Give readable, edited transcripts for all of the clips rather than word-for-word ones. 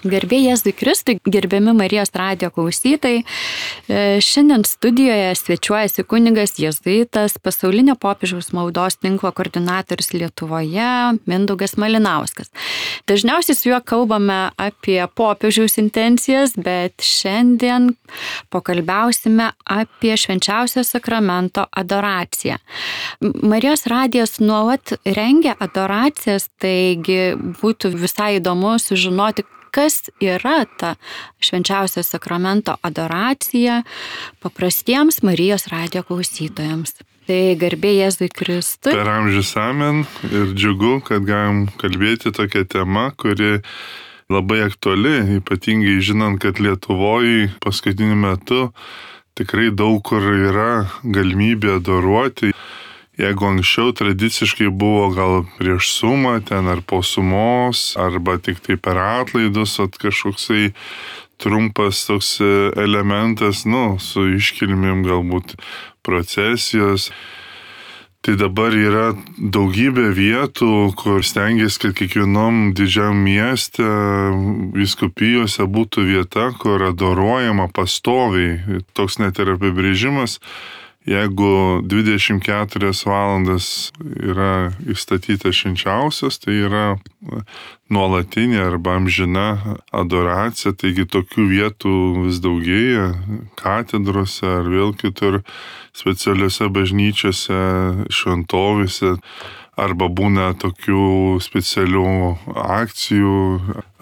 Garbė Jėzui Kristui, gerbiami Marijos radijo klausytojai. Šiandien studijoje svečiuojasi kunigas jėzuitas, pasaulinio popiežiaus maldos tinklo koordinatorius Lietuvoje, Mindaugas Malinauskas. Dažniausiai su juo kalbame apie popiežiaus intencijas, bet šiandien pokalbiausime apie švenčiausio sakramento adoraciją. Marijos radijas nuolat rengia adoracijas, taigi būtų visai įdomu sužinoti, kas yra ta švenčiausio sakramento adoracija paprastiems Marijos radijo klausytojams. Tai garbė Jėzui Kristui. Per amžius amen ir džiugu, kad galim kalbėti tokią temą, kuri labai aktuali, ypatingai žinant, kad Lietuvoje paskutiniu metu tikrai daug kur yra galimybė adoruoti. Jeigu anksčiau tradiciškai buvo gal prieš sumą ten ar po sumos, arba tik tai per atlaidus, kažkoksai trumpas toks elementas, su iškilmėm galbūt procesijos. Tai dabar yra daugybė vietų, kur stengiasi, kad kiekvienom didžiam mieste, vyskupijose būtų vieta, kur adoruojama pastoviai. Toks net ir apibrėžimas. Jeigu 24 valandas yra įstatytas švenčiausias, tai yra nuolatinė arba amžina adoracija, taigi tokių vietų vis daugėja katedrose ar vėl kitur specialiuose bažnyčiose, šventovėse, arba būna tokių specialių akcijų,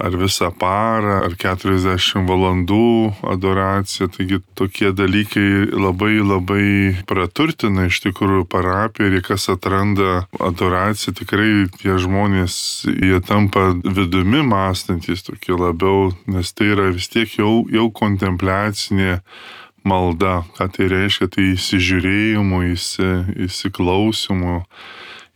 ar visą parą, ar 40 valandų adoracija. Taigi tokie dalykai labai praturtina iš tikrųjų parapiją, ir kas atranda adoraciją, tikrai tie žmonės, jie tampa vidumi mąstantis tokie labiau, nes tai yra vis tiek jau kontempliacinė malda. Ką tai reiškia? Tai įsižiūrėjimo, įsiklausimo.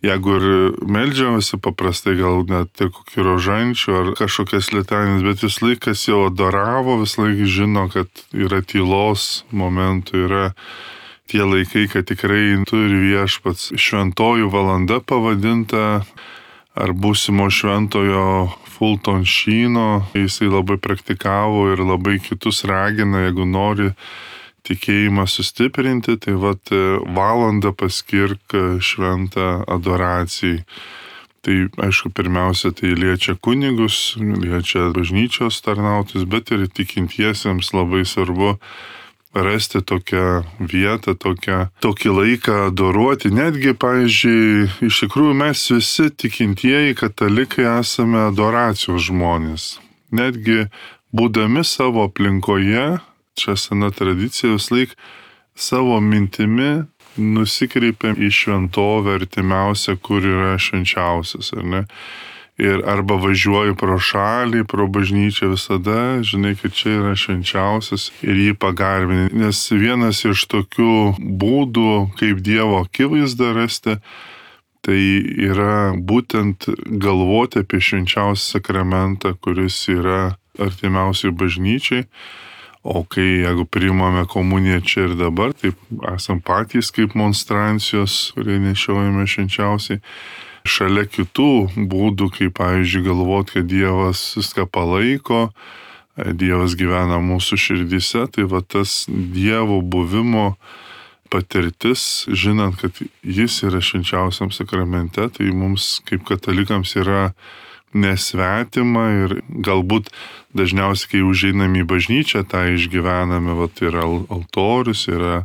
Jeigu ir meldžiamasi paprastai, gal net ir kokį rožančių ar kažkokias litanijas, bet vis laikas jau adoravo, vis laikas žino, kad yra tylos momentų, yra tie laikai, kad tikrai turi viešpats šventojų valanda pavadinta, ar būsimo šventojo Fulton Sheeno. Jisai labai praktikavo ir labai kitus ragina, jeigu nori tikėjimą sustiprinti, tai valandą paskirk šventą adoracijai. Tai aišku, pirmiausia, tai liečia kunigus, liečia bažnyčios tarnautojus, bet ir tikintiesiems labai svarbu rasti tokią vietą, tokį laiką adoruoti. Netgi, pavyzdžiui, iš tikrųjų mes visi tikintieji katalikai esame adoracijos žmonės. Netgi būdami savo aplinkoje, čia sena tradicija, vis laik savo mintimi nusikreipiam į šventovę artimiausią, kur yra švenčiausias, ar ne? Ir arba važiuoju pro šalį, pro bažnyčią, visada žinai, kad čia yra švenčiausias ir jį pagarbini. Nes vienas iš tokių būdų, kaip Dievo akivaizdą rasti, tai yra būtent galvoti apie švenčiausią sakramentą, kuris yra artimiausiai bažnyčiai. O jeigu priimame komuniją čia ir dabar, taip esam patys kaip monstrancijos, kurie nešiojame švenčiausiai. Šalia kitų būdų, kaip pavyzdžiui galvoti, kad Dievas viską palaiko, Dievas gyvena mūsų širdyse, tai tas Dievo buvimo patirtis, žinant, kad jis yra švenčiausiam sakramente, tai mums kaip katalikams yra nesvetima ir galbūt dažniausiai, kai užeinam į bažnyčią, tą išgyvename, yra altorius, yra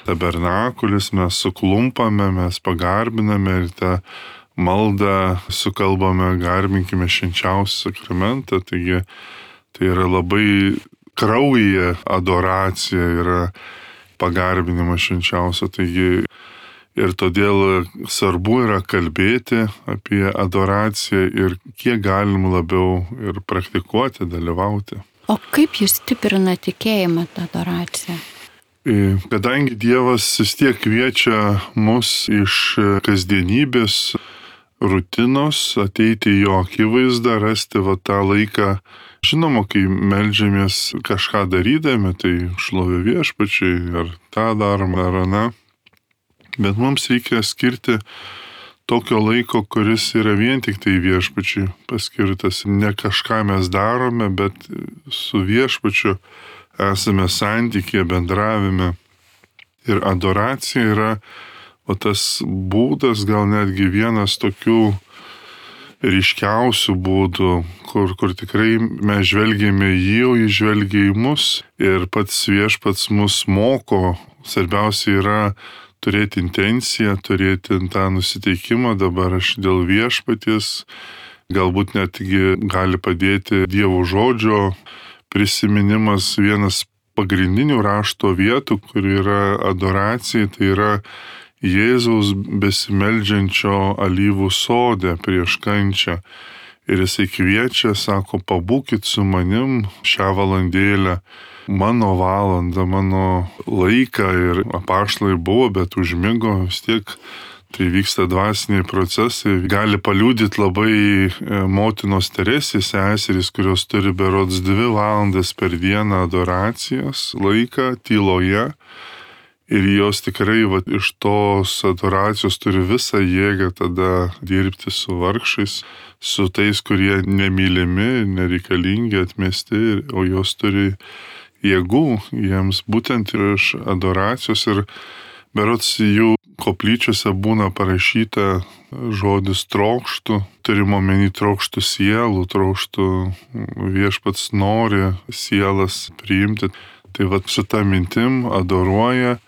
tabernakulis, mes suklumpame, mes pagarbiname ir tą maldą sukalbame, garbinkime švenčiausią sakramentą, taigi tai yra labai kraujyje adoracija, yra pagarbinimas švenčiausio, taigi ir todėl svarbu yra kalbėti apie adoraciją ir kiek galim labiau ir praktikuoti, dalyvauti. O kaip jūs stiprina tikėjimą tą adoraciją? Kadangi Dievas vis tiek kviečia mus iš kasdienybės rutinos ateiti į jo akivaizdą, rasti tą laiką. Žinoma, kai meldžiamės kažką darydami, tai šlovė viešpačiai, ar tą darom, ar aną. Bet mums reikia skirti tokio laiko, kuris yra vien tik tai viešpačiui paskirtas. Ne kažką mes darome, bet su viešpačiu esame santykėje, bendravime. Ir adoracija yra tas būdas, gal netgi vienas tokių ryškiausių būdų, kur tikrai mes žvelgėme jį, o jis žvelgia į mus ir pats viešpats mus moko. Svarbiausia yra turėti intenciją, turėti tą nusiteikimą, dabar aš dėl viešpaties, galbūt netgi gali padėti Dievo žodžio prisiminimas. Vienas pagrindinių rašto vietų, kur yra adoracija, tai yra Jėzaus besimeldžiančio alyvų sode prieš kančią. Ir jisai kviečia, sako, pabūkit su manim šią valandėlę, mano valandą, mano laiką. Ir apaštalai buvo, bet užmigo, vis tiek tai vyksta dvasiniai procesai. Gali paliudyti labai motinos Teresės seserys, kurios turi berods 2 valandas per dieną adoracijos laiką tyloje. Ir jos tikrai iš tos adoracijos turi visą jėgą tada dirbti su vargšais, su tais, kurie nemylimi, nereikalingi, atmesti, o jos turi jėgų jiems būtent iš adoracijos. Ir berods jų koplyčiose būna parašyta žodis trokštų, turimo omeny trokštų sielų, trokštų viešpats nori sielas priimti. Tai su ta mintim adoruoja.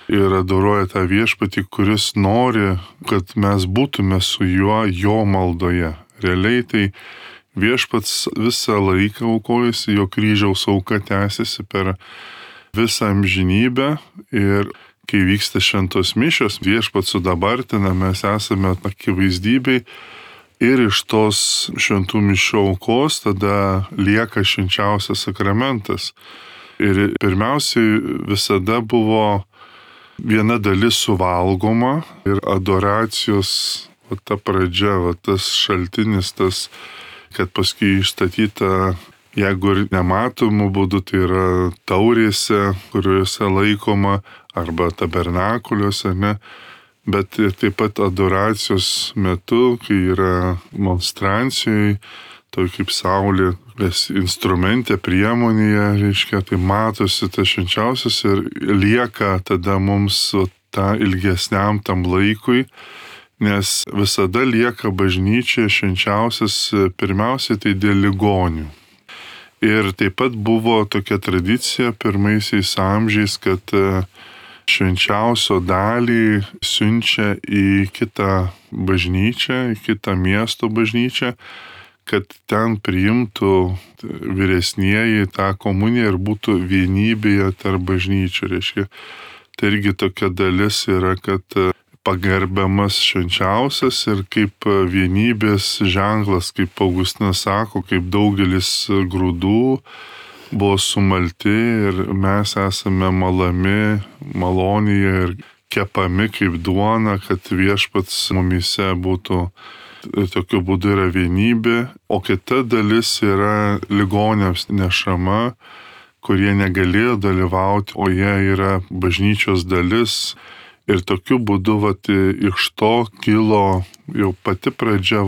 Ir adoruoja tą viešpatį, kuris nori, kad mes būtume su juo jo maldoje. Realiai tai viešpats visą laiką aukojasi, jo kryžiaus auka tęsiasi per visą amžinybę. Ir kai vyksta šventos mišios, viešpats sudabartina, mes esame akivaizdybei. Ir iš tos šventų mišių aukos tada lieka švenčiausias sakramentas. Ir pirmiausiai visada buvo viena dalis suvalgoma ir adoracijos, ta pradžia, tas šaltinis, tas, kad paskui išstatyta, jeigu ir nematomų būdų, tai yra taurėse, kuriuose laikoma, arba tabernakuliuose, ne? Bet taip pat adoracijos metu, kai yra monstrancijoje, toj kaip saulė, instrumente, priemonėje, reiškia, tai matosi tas švenčiausias ir lieka tada mums tą ilgesniam tam laikui, nes visada lieka bažnyčia švenčiausias pirmiausiai tai dėl ligonių. Ir taip pat buvo tokia tradicija pirmaisiais amžiais, kad švenčiausio dalį siunčia į kitą bažnyčią, į kitą miesto bažnyčią, kad ten priimtų vyresnieji tą komuniją ir būtų vienybėje tarp bažnyčių. Reiškia, tai irgi tokia dalis yra, kad pagerbiamas švenčiausias ir kaip vienybės ženklas, kaip Augustinas sako, kaip daugelis grūdų buvo sumalti ir mes esame malami, malonėje ir kepami kaip duona, kad viešpats mumyse būtų. Tokiu būdu yra vienybė, o kita dalis yra ligoniams nešama, kurie negalėjo dalyvauti, o jie yra bažnyčios dalis. Ir tokiu būdu iš to kilo jau pati pradžia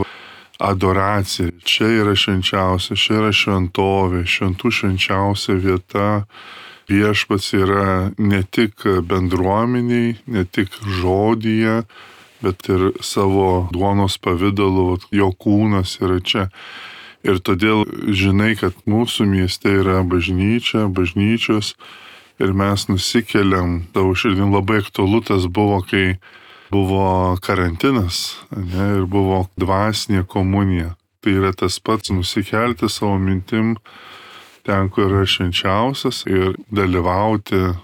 adoracija. Čia yra švenčiausia, čia yra šventovė, šventų švenčiausia vieta. Viešpats yra ne tik bendruomeniai, ne tik žodyje, bet ir savo duonos pavidalu, jo kūnas yra čia. Ir todėl žinai, kad mūsų mieste yra bažnyčia, bažnyčios ir mes nusikeliam, tavo širdim labai aktualu tas buvo, kai buvo karantinas, ne, ir buvo dvasinė komunija. Tai yra tas pats nusikelti savo mintim ten, kur yra švenčiausias ir dalyvauti,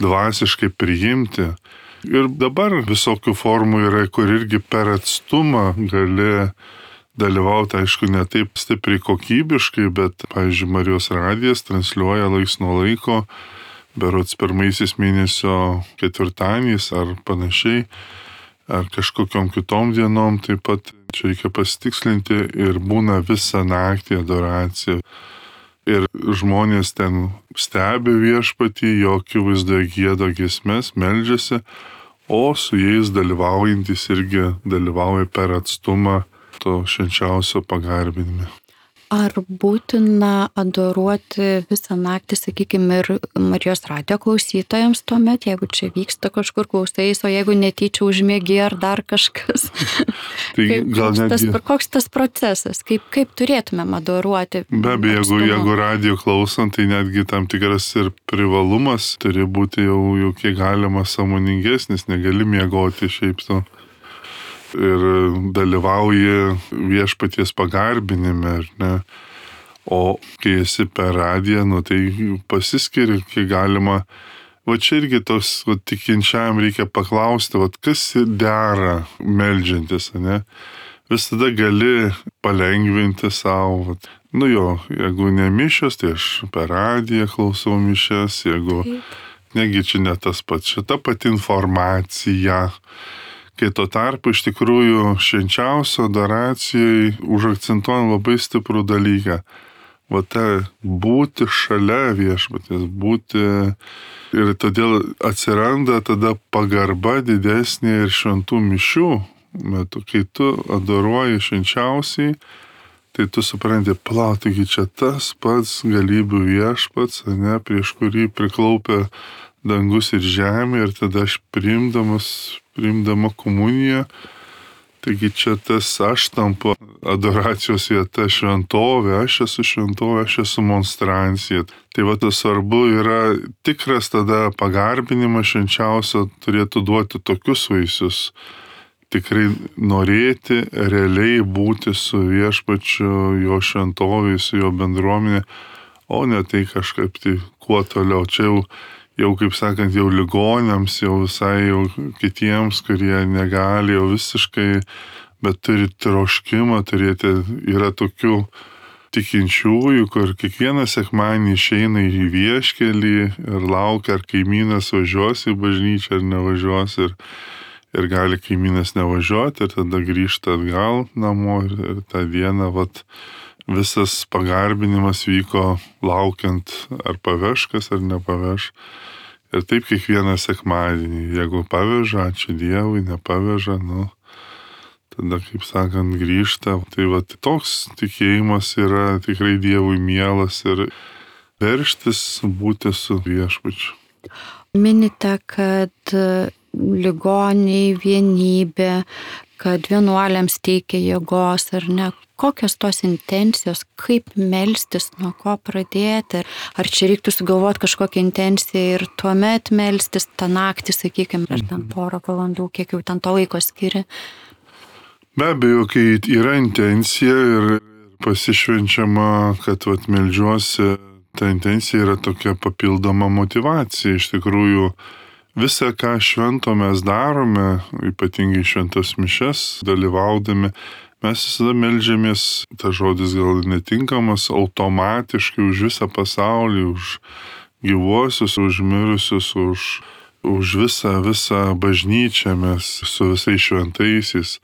dvasiškai priimti. Ir dabar visokių formų yra, kur irgi per atstumą gali dalyvauti, aišku, ne taip stipriai kokybiškai, bet, pavyzdžiui, Marijos radijas transliuoja laiks nuo laiko, berods pirmaisiais mėnesio ketvirtadieniais ar panašiai, ar kažkokiom kitom dienom, taip pat čia reikia pasitikslinti ir būna visą naktį adoracija. Ir žmonės ten stebi viešpatį, jo akivaizdoje gieda giesmes, meldžiasi, o su jais dalyvaujantis irgi dalyvauja per atstumą to švenčiausio pagarbinime. Ar būtina adoruoti visą naktį, sakykime, ir Marijos radijo klausytojams tuomet, jeigu čia vyksta kažkur klausais, o jeigu netyčia užmiegi ar dar kažkas? Tai Koks tas procesas? Kaip turėtumėm adoruoti? Be abejo, jeigu radijo klausant, tai netgi tam tikras ir privalumas turi būti jau kiek galima sąmoningesnis, negali miegoti šiaip sau. Ir dalyvauji viešpaties pagarbinime, ar ne? O kai esi per radiją, tai pasiskiri, kiek galima. Va čia irgi tos tikinčiajam reikia paklausti, kas dera meldžiantis, ne? Visada gali palengvinti savo. Jeigu ne mišios, tai aš per radiją klausau mišias, jeigu negi čia ne tas pats, šita pati informacija. Kai tuo tarpu iš tikrųjų švenčiausio adoracijai užakcentuojam labai stiprų dalyką. Būti šalia viešpaties, būti ir todėl atsiranda tada pagarba didesnė ir šventų mišių metu. Kai tu adoruoji švenčiausiai, tai tu supranti, taigi čia tas pats galybių viešpats, ne, prieš kurį priklaupia dangus ir žemė, ir tada aš priimdama komuniją, taigi čia tas aš tampu adoracijos vieta, šventovė, aš esu šventovė, aš esu monstrancija. Tai tas svarbu yra tikras tada pagarbinimas švenčiausio turėtų duoti tokius vaisius. Tikrai norėti realiai būti su viešpačiu, jo šventovėje, su jo bendruomenė, o ne tai kažkaip tai kuo toliau. Čia jau kaip sakant, jau ligoniams, jau visai jau kitiems, kurie negali jau visiškai, bet turi troškimą turėti. Yra tokių tikinčiųjų, kur kiekvieną sekmadienį išeina į vieškelį ir laukia, ar kaimynas važiuos į bažnyčią ar nevažiuos, ir gali kaimynas nevažiuoti, ir tada grįžta atgal namo, ir tą dieną visas pagarbinimas vyko laukiant, ar paveš kas ar nepaveš. Ir taip kiekvieną sekmadienį, jeigu paveža, ačiū Dievui, nepaveža, tada, kaip sakant, grįžta. Tai toks tikėjimas yra tikrai Dievui mielas ir verštis būti su viešpačiu. Minite, kad ligoniai vienybė, kad vienuoliams teikia jėgos, ar ne? Kokios tos intencijos, kaip melstis, nuo ko pradėti? Ar čia reiktų sugalvoti kažkokią intenciją ir tuomet melstis tą naktį, sakykime, ar ten porą valandų, kiek jau ten to laiko skiri? Be abejo, kai yra intencija ir pasišvenčiama, kad meldžiuosi, ta intencija yra tokia papildoma motyvacija. Iš tikrųjų, visą, ką švento mes darome, ypatingai šventas mišias dalyvaudami, mes visada meldžiamės, tas žodis gal netinkamas, automatiškai už visą pasaulį, už gyvuosius, už mirusius, už visą bažnyčią mes su visais šventaisiais.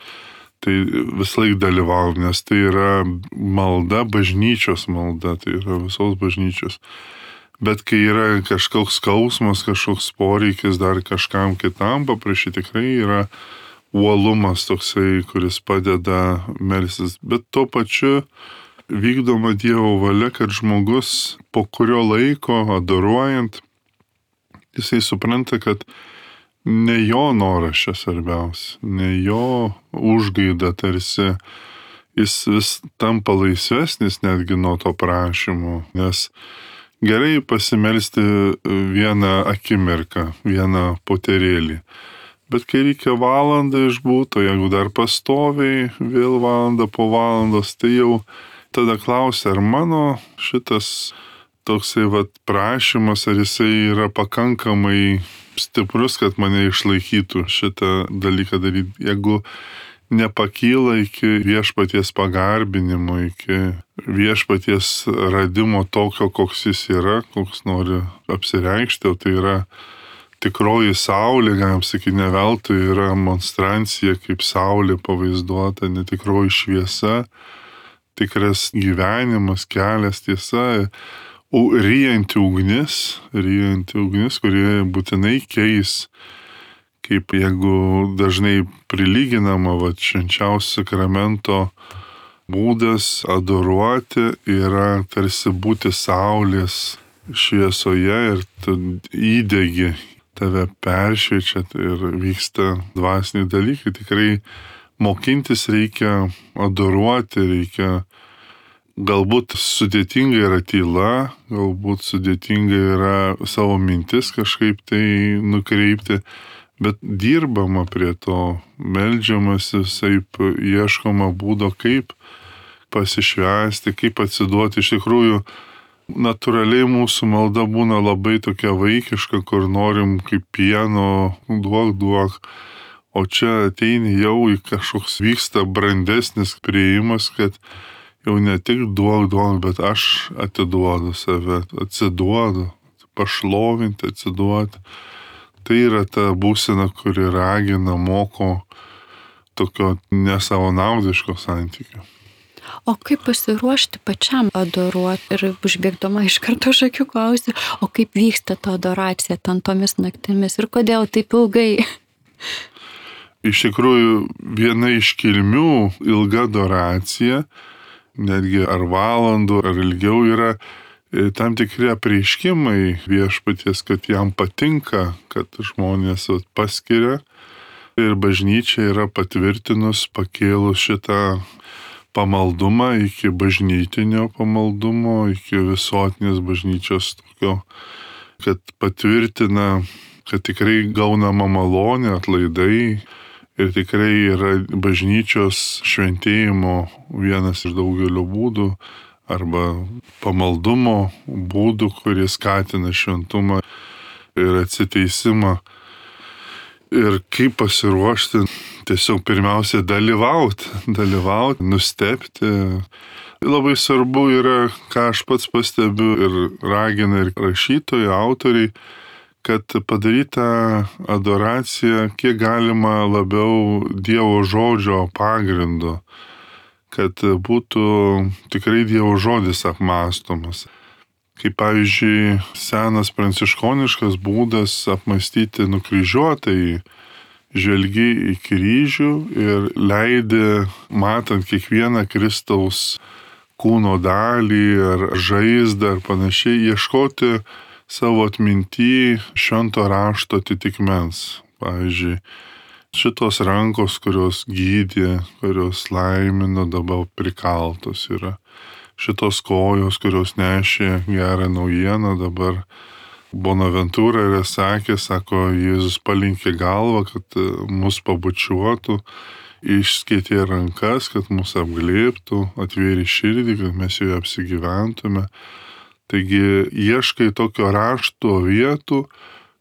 Tai vislaik dalyvaujam, nes tai yra malda, bažnyčios malda, tai yra visos bažnyčios. Bet kai yra kažkoks skausmas, kažkoks poreikis dar kažkam kitam paprašyti, tikrai yra uolumas toksai, kuris padeda melstis. Bet tuo pačiu vykdoma Dievo valia, kad žmogus po kurio laiko adoruojant, jisai supranta, kad ne jo noras čia svarbiausia, ne jo užgaida tarsi, jis vis tampa laisvesnis netgi nuo to prašymo, nes gerai pasimelsti vieną akimirką, vieną poterėlį. Bet kai reikia valandą išbūti, o jeigu dar pastoviai vėl valandą po valandos, tai jau tada klausia, ar mano šitas toksai prašymas, ar jisai yra pakankamai stiprus, kad mane išlaikytų šitą dalyką daryti. Jeigu nepakyla iki viešpaties pagarbinimo, iki viešpaties radimo tokio, koks jis yra, koks nori apsireikšti, o tai yra tikroji saulė, galim sakyti, ne veltui yra monstrancija kaip saulė pavaizduota, netikroji šviesa, tikras gyvenimas, kelias, tiesa, ryjanti ugnis, kurie būtinai keis kaip jeigu dažnai prilyginama, švenčiausio sakramento būdas adoruoti yra tarsi būti saulės šviesoje ir tu įdegi, tave peršviečia ir vyksta dvasiniai dalykai. Tikrai mokintis reikia adoruoti, reikia. Galbūt sudėtinga yra tyla, galbūt sudėtinga yra savo mintis kažkaip tai nukreipti, bet dirbama prie to, meldžiamasi, visaip ieškoma būdo, kaip pasišvęsti, kaip atsiduoti. Iš tikrųjų, natūraliai mūsų malda būna labai tokia vaikiška, kur norim kaip pieno, duok, o čia ateini jau į kažkoks vyksta brandesnis priėjimas, kad jau ne tik duok, bet aš atiduodu save, atsiduodu, pašlovinti, atsiduoti. Tai yra ta būsena, kuri ragina, moko tokio nesavanaudiško santykio. O kaip pasiruošti pačiam adoruoti? Ir užbėgdama iš karto už akių klausiu, o kaip vyksta ta adoracija ten tomis naktimis ir kodėl taip ilgai? Iš tikrųjų, viena iš kilmių ilga adoracija, netgi ar valandų, ar ilgiau, yra tam tikri apreiškimai viešpaties, kad jam patinka, kad žmonės paskiria. Ir bažnyčia yra patvirtinus, pakėlus šitą pamaldumą iki bažnytinio pamaldumo, iki visuotinės bažnyčios tokio, kad patvirtina, kad tikrai gaunama malonė, atlaidai. Ir tikrai yra bažnyčios šventėjimo vienas iš daugelio būdų arba pamaldumo būdų, kurie skatina šventumą ir atsiteisimą. Ir kaip pasiruošti, tiesiog pirmiausia dalyvauti, nustebti. Labai svarbu yra, ką aš pats pastebiu ir ragina ir rašytojai, autoriai, kad padaryta adoracija kiek galima labiau Dievo žodžio pagrindu, kad būtų tikrai Dievo žodis apmąstomas. Kaip pavyzdžiui, senas pranciškoniškas būdas apmąstyti nukryžiuotąjį, žvelgi į kryžių ir leidi, matant kiekvieną Kristaus kūno dalį ar žaizdą ar panašiai, ieškoti savo atminty švento rašto atitikmens. Pavyzdžiui, šitos rankos, kurios gydė, kurios laimino, dabar prikaltos yra. Šitos kojos, kurios nešė gerą naujieną, dabar Bonaventūra yra sako, Jėzus palinkė galvą, kad mus pabučiuotų, išskėtė rankas, kad mus apglėbtų, atvėrė širdį, kad mes joje apsigyventume. Taigi ieškai tokio rašto vietų,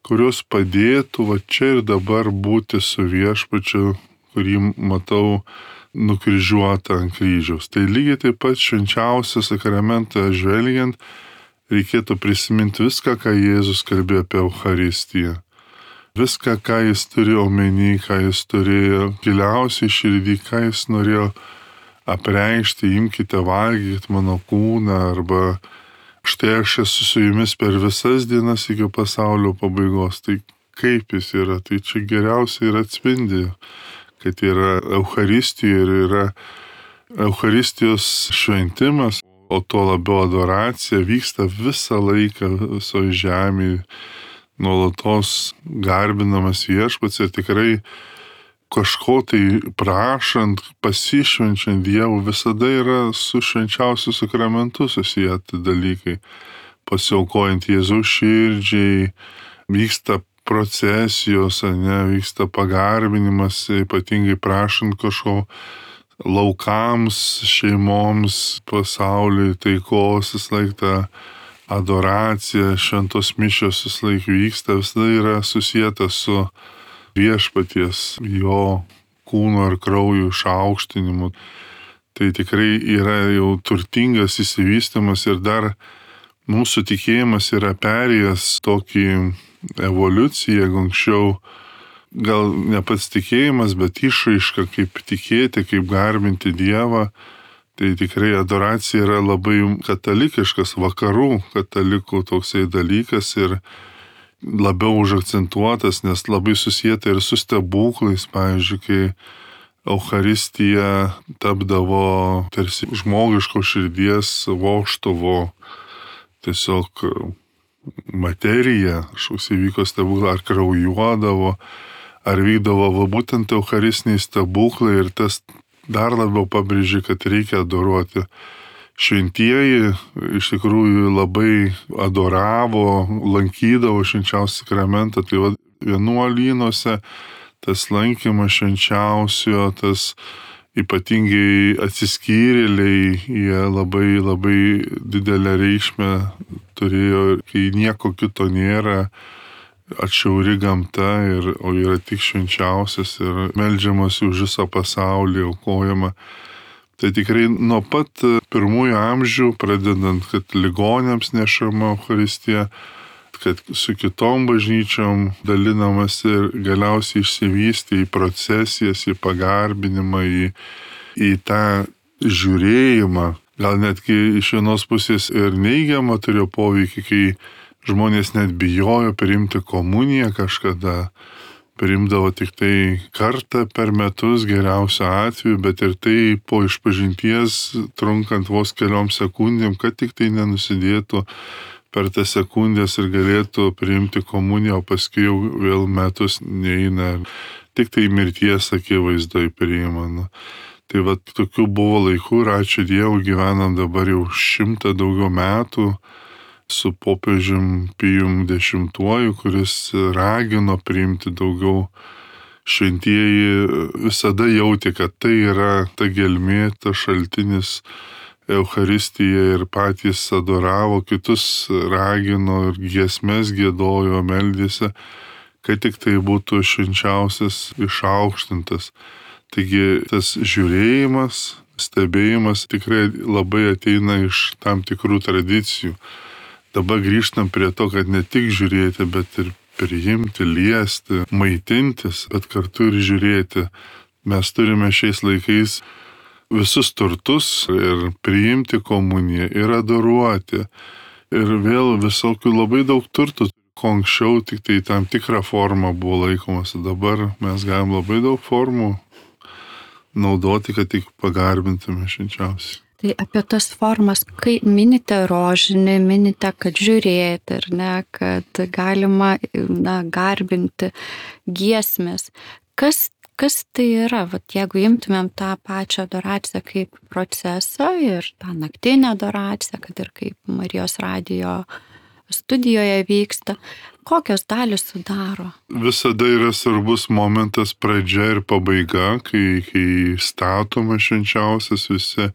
kurios padėtų čia ir dabar būti su viešpačiu, kurį matau nukryžiuotą ant kryžiaus. Tai lygiai taip pat švenčiausią sakramentą žvelgiant, reikėtų prisiminti viską, ką Jėzus kalbėjo apie Eucharistiją. Viską, ką jis turėjo omeny, ką jis turėjo giliausiai širdį, ką jis norėjo apreikšti, imkite, valgykite mano kūną, arba štai aš esu su jumis per visas dienas iki pasaulio pabaigos. Tai kaip jis yra, tai čia geriausiai ir atspindi, kad yra Eucharistija ir yra Eucharistijos šventimas, o tuo labiau adoracija vyksta visą laiką visoje žemėje, nuolatos garbinamas viešpats ir tikrai kažko tai prašant, pasišvenčiant Dievų, visada yra su švenčiausiu sakramentu susiję dalykai. Pasiaukojant Jėzaus širdžiai, vyksta procesijos, vyksta pagarbinimas, ypatingai prašant kažko laukams, šeimoms, pasauliui, taikos, vis laik ta adoracija, šventos mišios vis laik vyksta, visada yra susijęta su viešpaties, jo kūno ir kraujo išaukštinimu. Tai tikrai yra jau turtingas įsivystymas ir dar mūsų tikėjimas yra perėjęs tokį evoliuciją, jeigu anksčiau gal ne pats tikėjimas, bet išraiška, kaip tikėti, kaip garbinti Dievą. Tai tikrai adoracija yra labai katalikiškas, vakarų katalikų toksai dalykas ir labiau užakcentuotas, nes labai susijęta ir su stebuklais, pavyzdžiui, kai Eucharistija tapdavo tarsi žmogiško širdies vožtuvo, tiesiog materija, kažkoks įvyko stebuklas, ar kraujuodavo, ar vykdavo būtent eucharistiniai stebuklai ir tas dar labiau pabrėžė, kad reikia adoruoti. Šventieji iš tikrųjų labai adoravo, lankydavo švenčiausią sakramentą, tai vienuolynuose tas lankymas švenčiausio, tas ypatingai atsiskyrėliai, jie labai labai didelę reikšmę turėjo, kai nieko kito nėra, atšiauri gamta, o yra tik švenčiausias ir meldžiamas už visą pasaulį, aukojama. Tai tikrai nuo pat pirmųjų amžių, pradedant, kad ligoniams nešama Eucharistija, kad su kitom bažnyčiom dalinamas ir galiausiai išsivystė į procesijas, į pagarbinimą, į tą žiūrėjimą. Gal netgi iš vienos pusės ir neigiamą turėjo poveikį, kai žmonės net bijojo priimti komuniją kažkada, priimdavo tik tai kartą per metus geriausiu atveju, bet ir tai po išpažinties trunkant vos keliom sekundėm, kad tik tai nenusidėtų per tas sekundės ir galėtų priimti komuniją, o paskui jau vėl metus neina, tik tai mirties akivaizdoj priima. Tai tokių buvo laikų ir ačiū Dievui gyvenam dabar jau 100 daugiau metų su popiežium Pijum X, kuris ragino priimti daugiau. Šventieji visada jautė, kad tai yra ta gelmė, ta šaltinis Eucharistija ir patys adoravo, kitus ragino ir giesmes giedojo, meldėsi, kad tik tai būtų švenčiausias išaukštintas. Taigi tas žiūrėjimas, stebėjimas tikrai labai ateina iš tam tikrų tradicijų. Dabar grįžtam prie to, kad ne tik žiūrėti, bet ir priimti, liesti, maitintis, bet kartu ir žiūrėti. Mes turime šiais laikais visus turtus ir priimti komuniją, ir adoruoti. Ir vėl visokių labai daug turtų, ko anksčiau tik tai tam tikrą formą buvo laikomasi. Dabar mes galim labai daug formų naudoti, kad tik pagarbintume švenčiausiai. Tai apie tas formas, kai minite rožinį, minite, kad žiūrėti, ar ne, kad galima garbinti giesmės. Kas tai yra? Jeigu imtumėm tą pačią adoraciją kaip procesą ir tą naktinę adoraciją, kad ir kaip Marijos radijo studijoje vyksta, kokios dalys sudaro? Visada yra svarbus momentas pradžia ir pabaiga, kai statoma švenčiausias, visi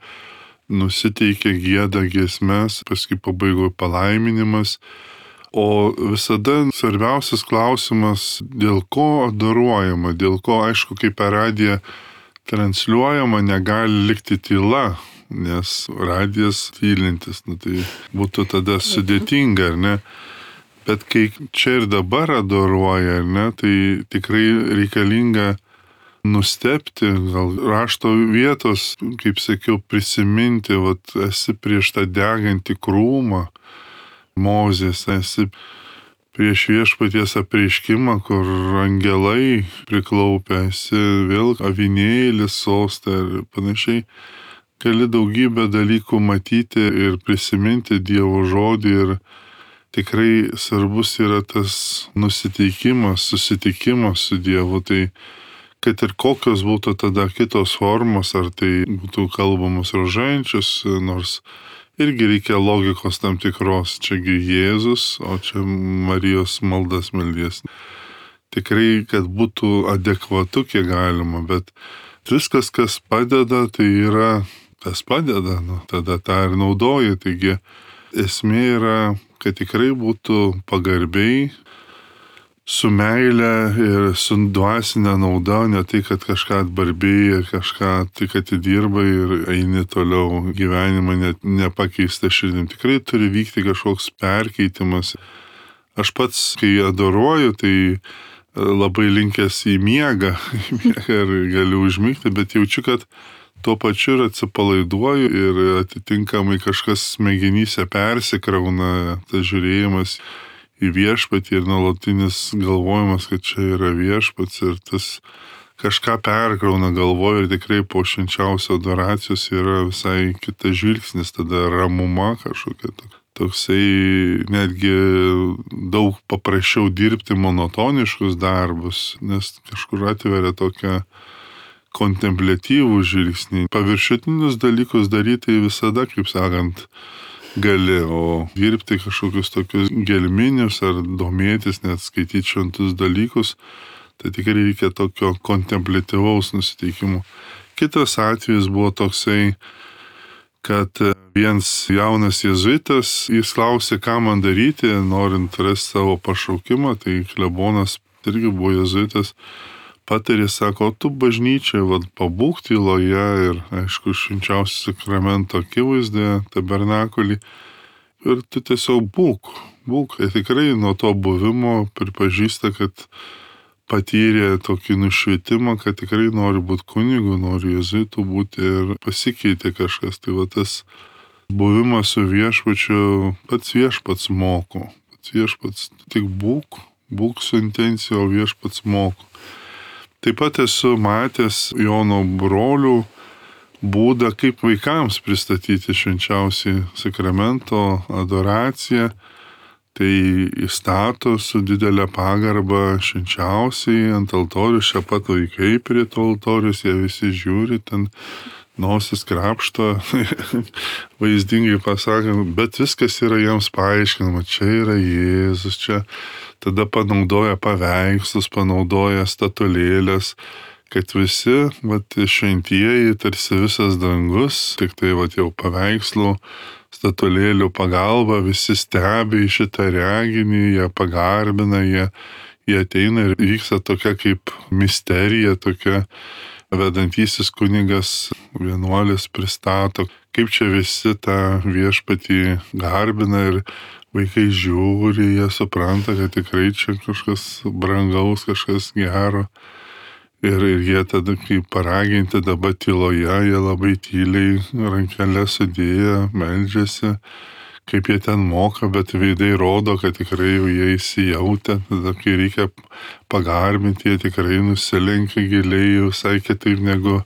nusiteikia, gieda giesmes, paskui pabaigoje palaiminimas. O visada svarbiausias klausimas, dėl ko adoruojama, dėl ko, aišku, kaip per radiją transliuojama, negali likti tyla, nes radijas tylintis, tai būtų tada sudėtinga, ar ne? Bet kai čia ir dabar adoruoja, ar ne, tai tikrai reikalinga nustebti, gal rašto vietos, kaip sakiau, prisiminti, esi prieš tą degantį krūmą, Mozės, esi prieš Viešpaties apreiškimą, kur angelai priklaupia, esi vėl avinėlis sostė ir panašiai. Gali daugybę dalykų matyti ir prisiminti Dievo žodį ir tikrai svarbus yra tas nusiteikimas, susitikimas su Dievu. Tai kad ir kokios būtų tada kitos formos, ar tai būtų kalbamos rožančius, nors irgi reikia logikos tam tikros, čiagi Jėzus, o čia Marijos maldas meldies. Tikrai, kad būtų adekvatu, kiek galima, bet viskas, kas padeda, tai yra, tas padeda, tada tą ir naudoji. Taigi esmė yra, kad tikrai būtų pagarbiai, su meile ir su dvasinė nauda, ne tai, kad kažką atbarbėjai, kažką tik atidirbai ir eini toliau gyvenimą nepakeista širdim. Tikrai turi vykti kažkoks perkeitimas. Aš pats, kai adoruoju, tai labai linkęs į miegą ir galiu užmigti, bet jaučiu, kad tuo pačiu ir atsipalaiduoju ir atitinkamai kažkas smegenyse persikrauna, tas žiūrėjimas į viešpatį ir nuolatinis galvojimas, kad čia yra viešpats ir tas kažką perkrauna galvoje ir tikrai po švenčiausio adoracijos yra visai kitas žvilgsnis, tada ramuma kažkokia. Toksai netgi daug paprasčiau dirbti monotoniškus darbus, nes kažkur atveria tokią kontempliatyvų žvilgsnį. Paviršutinius dalykus daryti visada, kaip sakant, gali, o dirbti kažkokius tokius gelminius ar domėtis, net skaityti šventus dalykus, tai tikrai reikia tokio kontempliatyvaus nusiteikimo. Kitas atvejis buvo toksai, kad vienas jaunas jėzuitas, jis klausė, ką man daryti, norint rasti savo pašaukimą, tai klebonas irgi buvo jėzuitas, patarė, sako, tu bažnyčiai, pabūk tyloje ir, aišku, švenčiausio sakramento akivaizdoje, tabernakulį, ir tu tiesiog būk. Ir tikrai nuo to buvimo pripažįsta, kad patyrė tokį nušvietimą, kad tikrai nori būti kunigu, nori jėzuitu būti ir pasikeitė kažkas. Tai tas buvimas su viešpačiu, pats viešpats moko. Pats viešpats tik būk su intencija, o viešpats moko. Taip pat esu matęs Jono brolių būdą, kaip vaikams pristatyti švenčiausiai sakramento adoraciją. Tai įstato su didelė pagarba švenčiausiai ant altorius, čia pat vaikai prie to altorius, jie visi žiūri, ten nosis krapšto, vaizdingai pasakant, bet viskas yra jiems paaiškinama, čia yra Jėzus, čia tada panaudoja paveikslus, panaudoja statulėlės, kad visi, šventieji, tarsi visas dangus, tik tai jau paveikslų, statulėlių pagalba, visi stebi į šitą reginį, jie pagarbina, jie ateina ir vyksta tokia kaip misterija, tokia vedantysis kunigas vienuolis pristato, kaip čia visi tą viešpatį garbina ir vaikai žiūri, jie supranta, kad tikrai čia kažkas brangaus, kažkas gero. Ir jie tada, kai paraginti dabar tyloje, jie labai tyliai rankelę sudėję, meldžiasi, kaip jie ten moka, bet veidai rodo, kad tikrai jie įsijautė. Tada, kai reikia pagarbinti, jie tikrai nusilenkia giliai, visai kitaip negu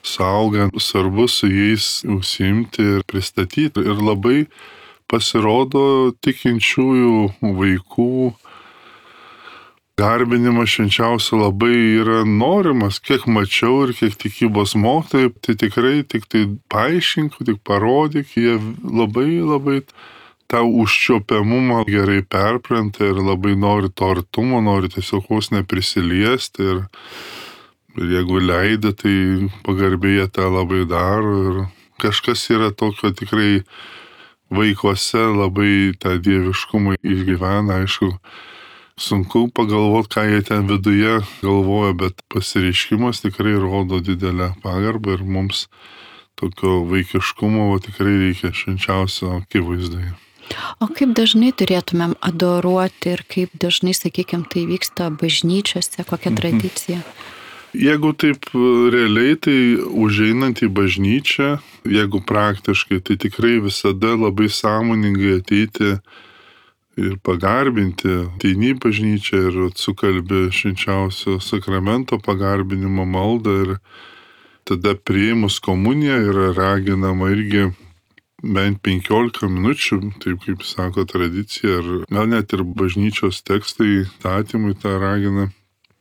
suaugant. Svarbu su jais užsiimti ir pristatyti. Ir labai pasirodo tikinčiųjų vaikų garbinimas švenčiausio labai yra norimas, kiek mačiau ir kiek tikybos mokytojai, tai tikrai tik tai paaiškink, tik parodyk, jie labai tą užčiopiamumą gerai perpranta ir labai nori to artumo, nori tiesiog vos neprisiliesti ir jeigu leidė, tai pagarbėję tą labai daro ir kažkas yra tokio tikrai vaikuose labai tą dieviškumą išgyvena, aišku, sunku pagalvoti, ką jie ten viduje galvoja, bet pasireiškimas tikrai rodo didelę pagarbą ir mums tokio vaikiškumo tikrai reikia švenčiausio akivaizdoje. O kaip dažnai turėtumėm adoruoti ir kaip dažnai, sakykime, tai vyksta bažnyčiose, kokia tradicija? Jeigu taip realiai, tai užeinant į bažnyčią, jeigu praktiškai, tai tikrai visada labai sąmoningai ateiti ir pagarbinti, ateini į bažnyčią ir sukalbi švenčiausio sakramento pagarbinimo maldą ir tada priėmus komuniją yra raginama irgi bent 15 minučių, taip kaip sako tradicija, ar gal net ir bažnyčios tekstai, statymai tą ragina,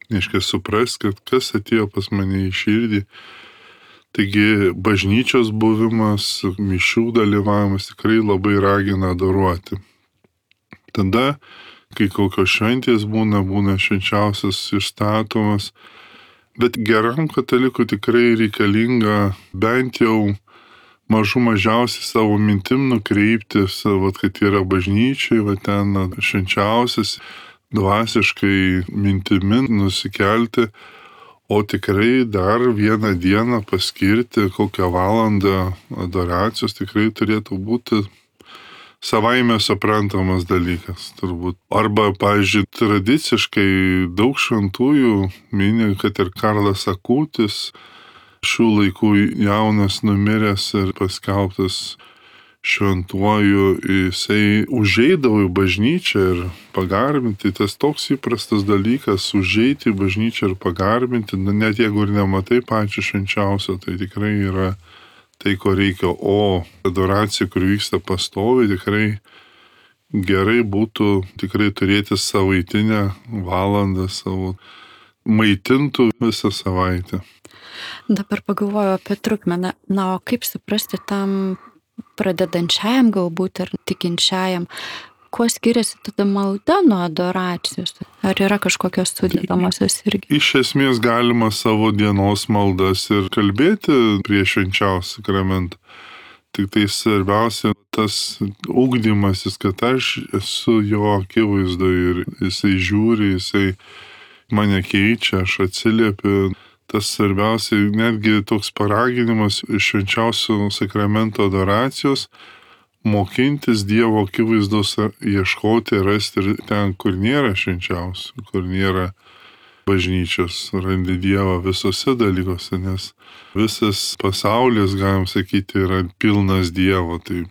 reiškia suprast, kad kas atėjo pas mane į širdį. Taigi bažnyčios buvimas, mišių dalyvavimas tikrai labai ragina adoruoti. Tada, kai kokios šventės būna švenčiausias išstatomas, bet geram katalikui tikrai reikalinga bent jau mažiausiai savo mintim nukreipti, kad yra bažnyčiai, ten švenčiausias, dvasiškai mintimi nusikelti, o tikrai dar vieną dieną paskirti, kokią valandą adoracijos tikrai turėtų būti savaime suprantamas dalykas, turbūt. Arba, pavyzdžiui, tradiciškai daug šventųjų mini, kad ir Karlas Akutis, šių laikų jaunas numiręs ir paskelbtas šventuoju, jisai užeidavo į bažnyčią ir pagarbinti. Tas toks įprastas dalykas - užeiti į bažnyčią ir pagarbinti, net jeigu ir nematai pačio švenčiausio, tai tikrai yra tai, ko reikia. O adoracija, kur vyksta pastoviai, tikrai gerai būtų tikrai turėti savaitinę valandą savo, maitintų visą savaitę. Dabar pagalvoju apie trukmę. Na, o kaip suprasti tam pradedančiajam galbūt ar tikinčiajam, kuo skiriasi tada malda nuo adoracijos? Ar yra kažkokios sudėdamosios irgi? Iš esmės galima savo dienos maldas ir kalbėti prie švenčiausio sakramento. Tik tai svarbiausia tas ugdymasis, kad aš esu jo akivaizdoje ir jisai žiūri, jisai mane keičia, aš atsiliepiu. Tas svarbiausia, netgi toks paraginimas iš švenčiausio sakramento adoracijos mokintis Dievo akivaizdos, ieškoti, rasti ir ten, kur nėra švenčiausių, kur nėra bažnyčios, randi Dievą visose dalykuose, nes visas pasaulis, galim sakyti, yra pilnas Dievo, tai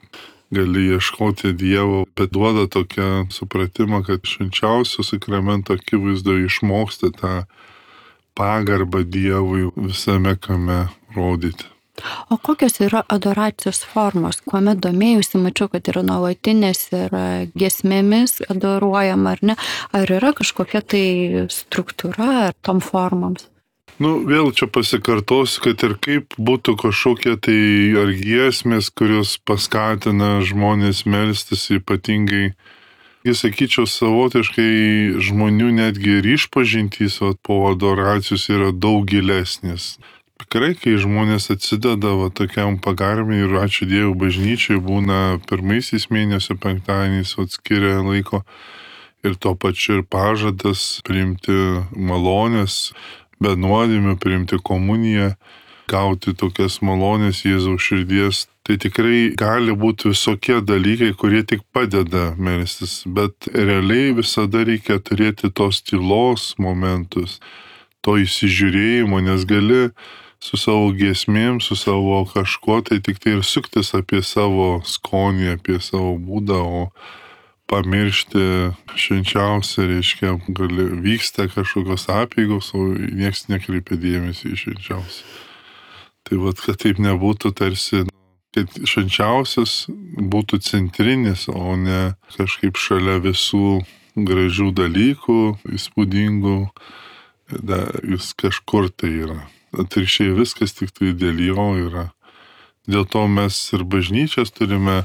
gali ieškoti Dievo, bet duoda tokią supratimą, kad švenčiausio sakramento akivaizdoje išmoksti tą pagarbą Dievui visame kame rodyti. O kokios yra adoracijos formos? Kuomet domėjusi, mačiau, kad yra nuolatinės ir giesmėmis adoruojama, ar ne? Ar yra kažkokia tai struktūra ar tom formoms? Vėl čia pasikartosiu, kad ir kaip būtų kažkokie tai ar giesmės, kurios paskatina žmonės melstis, ypatingai, sakyčiau, savotiškai žmonių netgi ir išpažintys po adoracijos yra daug gilesnės. Tikrai, kai žmonės atsideda tokiam pagarbiniui ir ačiū Dievui bažnyčiai, būna pirmaisiais mėnesio penktadieniais skiria laiko ir tuo pačiu ir pažadas priimti malonės, be nuodėmių, priimti komuniją, gauti tokias malonės Jėzaus širdies. Tai tikrai gali būti visokie dalykai, kurie tik padeda melstis, bet realiai visada reikia turėti tos tylos momentus, to įsižiūrėjimo, nes gali su savo giesmėm, su savo kažko, tai tik tai ir suktis apie savo skonį, apie savo būdą, o pamiršti švenčiausią, reiškia, vyksta kažkokios apeigos, o nieks nekreipia dėmesį į švenčiausią. Tai kad taip nebūtų tarsi, kad švenčiausias būtų centrinis, o ne kažkaip šalia visų gražių dalykų, įspūdingų, jis kažkur tai yra. Atvirkščiai viskas tik tai dėl jo yra. Dėl to mes ir bažnyčias turime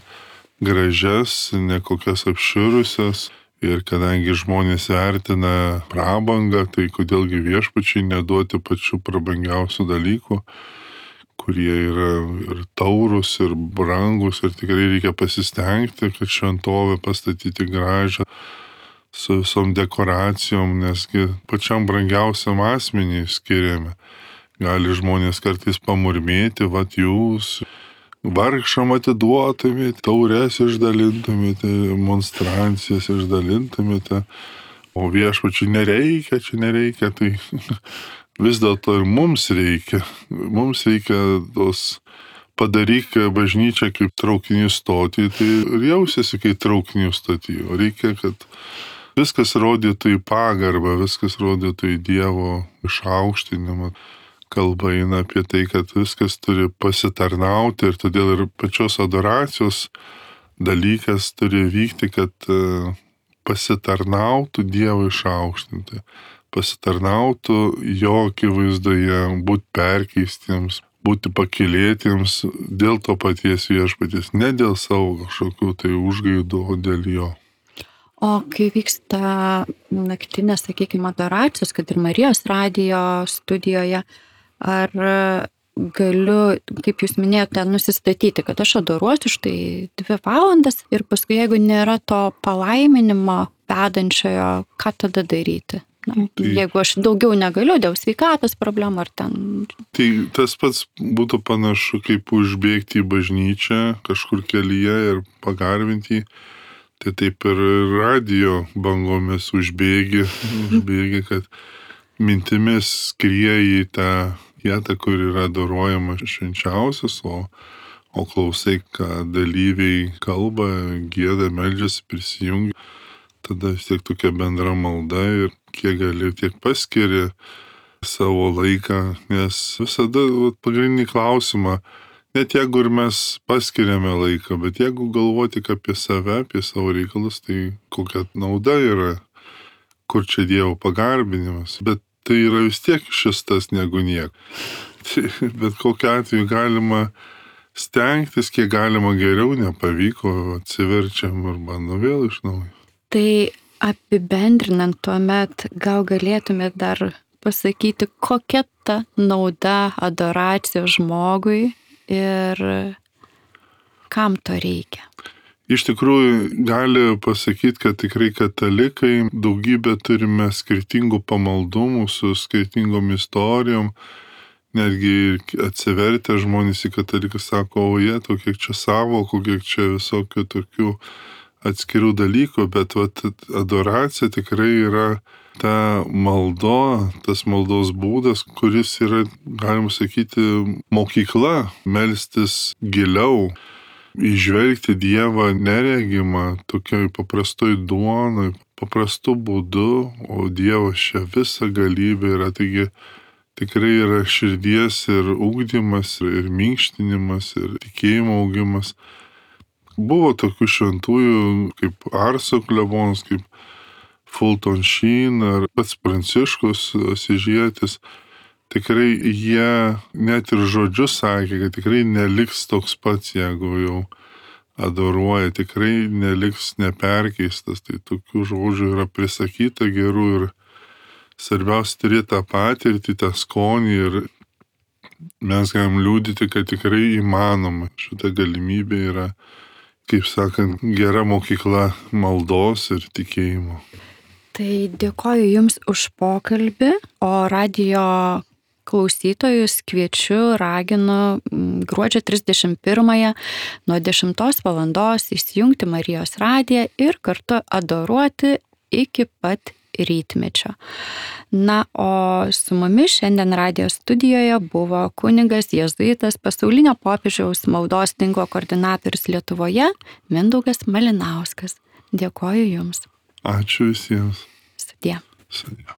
gražias, nekokias apširusias. Ir kadangi žmonės vertina prabangą, tai kodėlgi viešpačiai neduoti pačių prabangiausių dalykų, kurie yra ir taurus, ir brangus, ir tikrai reikia pasistengti, kad šventovę pastatyti gražią su visom dekoracijom, nesgi pačiam brangiausiam asmeniui skiriame. Gali žmonės kartais pamurmėti, jūs vargšam atiduotumėte, taures išdalintumėte, monstrancijas išdalintumėte, o viešpačiui nereikia, tai vis dėlto ir mums reikia. Mums reikia tos padaryk bažnyčią kaip traukinių stotį, tai ir jausiasi kaip traukinių stotį. O reikia, kad viskas rodytų į pagarbą, viskas rodytų į Dievo išaukštinimą. Kalba eina apie tai, kad viskas turi pasitarnauti ir todėl ir pačios adoracijos dalykas turi vykti, kad pasitarnautų Dievui išaukštinti, pasitarnautų jo akivaizdoje, būti perkeistiems, būti pakylėtiems dėl to paties viešpaties, ne dėl savo kažkokių tai užgaidų, o dėl jo. O kai vyksta naktinės, sakykime, adoracijos, kad ir Marijos radijo studijoje, ar galiu, kaip jūs minėjote, nusistatyti, kad aš adoruosiu štai 2 valandas ir paskui, jeigu nėra to palaiminimo vedančiojo, ką tada daryti? Jeigu aš daugiau negaliu dėl sveikatos problemų ar ten. Tai tas pats būtų panašu, kaip užbėgti į bažnyčią kažkur kelyje ir pagarbinti. Tai taip ir radijo bangomis užbėgi, kad mintimis skrieji tą vietą, kur yra adorojama švenčiausias, o o klausai, ką dalyviai kalba, gieda, meldžiasi, prisijungia, tada vis tiek tokia bendra malda ir kiek gali, tiek paskiri savo laiką, nes visada pagrindinį klausimą, net jeigu ir mes paskiriame laiką, bet jeigu galvoti tik apie save, apie savo reikalus, tai kokia nauda yra, kur čia Dievo pagarbinimas, bet tai yra vis tiek šis tas negu nieko. Bet kokiu atveju galima stengtis, kiek galima geriau, nepavyko, atsiverčiam ir bandom vėl iš naujo. Tai apibendrinant tuomet, gal galėtumėt dar pasakyti, kokia ta nauda adoracijos žmogui ir kam to reikia? Iš tikrųjų, gali pasakyti, kad tikrai katalikai daugybę turime skirtingų pamaldumų su skirtingom istorijom. Netgi atsivertę žmonės į katalikus sako, o jie, kiek čia savokų, kiek čia visokių tokių atskirų dalykų, bet adoracija tikrai yra ta maldo, tas maldos būdas, kuris yra, galima sakyti, mokykla, melstis giliau, įžvelgti Dievą neregimą, tokioj paprastoj duonoj, paprastu būdu, o Dievas čia visa galybė yra, taigi tikrai yra širdies ir ugdymas, ir minkštinimas, ir tikėjimo augimas. Buvo tokių šventųjų kaip Arso klebonas, kaip Fulton Sheen ar pats Pranciškus Asyžietis. Tikrai jie net ir žodžius sakė, kad tikrai neliks toks pats, jeigu jau adoruoja, tikrai neliks neperkeistas. Tai tokių žodžių yra prisakyta gerų ir svarbiausia turėti tą patirtį, tą skonį ir mes galim liudyti, kad tikrai įmanoma. Šita galimybė yra, kaip sakant, gera mokykla maldos ir tikėjimo. Tai dėkoju Jums už pokalbį, o radijo klausytojus kviečiu, raginu gruodžio 31 nuo 10 valandos įsijungti Marijos radiją ir kartu adoruoti iki pat rytmečio. Na, o su mumis šiandien radijo studijoje buvo kunigas jėzuitas pasaulinio popiežiaus maldos tinklo koordinatorius Lietuvoje Mindaugas Malinauskas. Dėkoju Jums. Ačiū visiems. Sudie. Sudie.